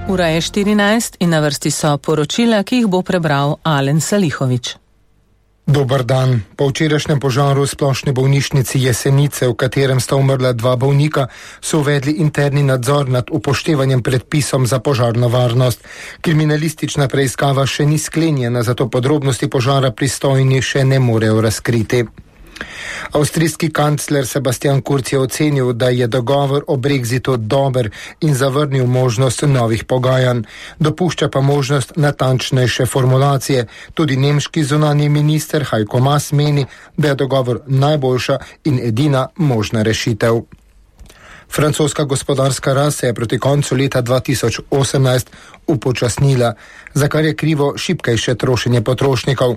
Ura je 14 in na vrsti so poročila, ki jih bo prebral Alen Salihović. Dobar dan. Po včerajšnjem požaru v splošni bolnišnici Jesenice, v katerem sta umrla 2 bolnika, so uvedli interni nadzor nad upoštevanjem predpisom za požarno varnost. Kriminalistična preiskava še ni sklenjena, zato podrobnosti požara pristojni še ne morejo razkriti. Avstrijski kancler Sebastian Kurz je ocenil, da je dogovor o brexitu dober in zavrnil možnost novih pogajanj. Dopušča pa možnost natančnejše formulacije. Tudi nemški zunanji minister Heiko Maas meni, da je dogovor najboljša in edina možna rešitev. Francoska gospodarska rast se je proti koncu leta 2018 upočasnila, za kar je krivo šibkejše trošenje potrošnikov.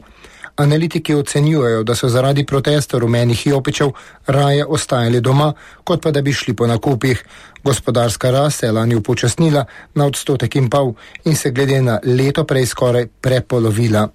Analitiki ocenjujejo, da so zaradi protestov rumenih jopičev raje ostajali doma, kot pa da bi šli po nakupih. Gospodarska rast se je lani upočasnila na 1,5% in se glede na leto prej skoraj prepolovila.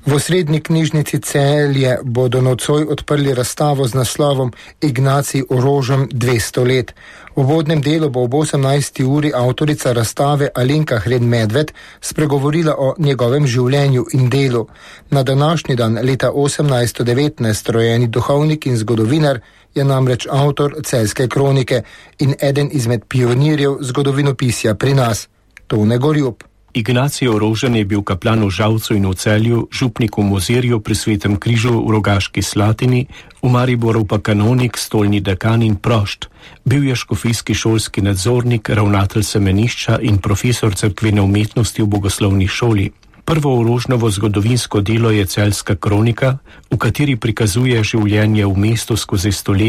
V osrednji knjižnici Celje bodo nocoj odprli razstavo z naslovom Ignacij Orožem 200 let. V uvodnem delu bo ob 18. uri avtorica razstave Alenka Hren-Medved spregovorila o njegovem življenju in delu. Na današnji dan leta 1819 rojeni duhovnik in zgodovinar je namreč avtor Celjske kronike in eden izmed pionirjev zgodovinopisja pri nas, Tone Gorjup. Ignacij Orožen je bil kaplan v Žalcu in v Celju, župnik v Mozirju pri Svetem križu v Rogaški Slatini, v Mariboru pa kanonik, stolni dekan in prošt. Bil je škofijski šolski nadzornik, ravnatelj semenišča in profesor cerkvene umetnosti v bogoslovni šoli. Prvo Orožnovo zgodovinsko delo je Celjska kronika, v kateri prikazuje življenje v mestu skozi stoletja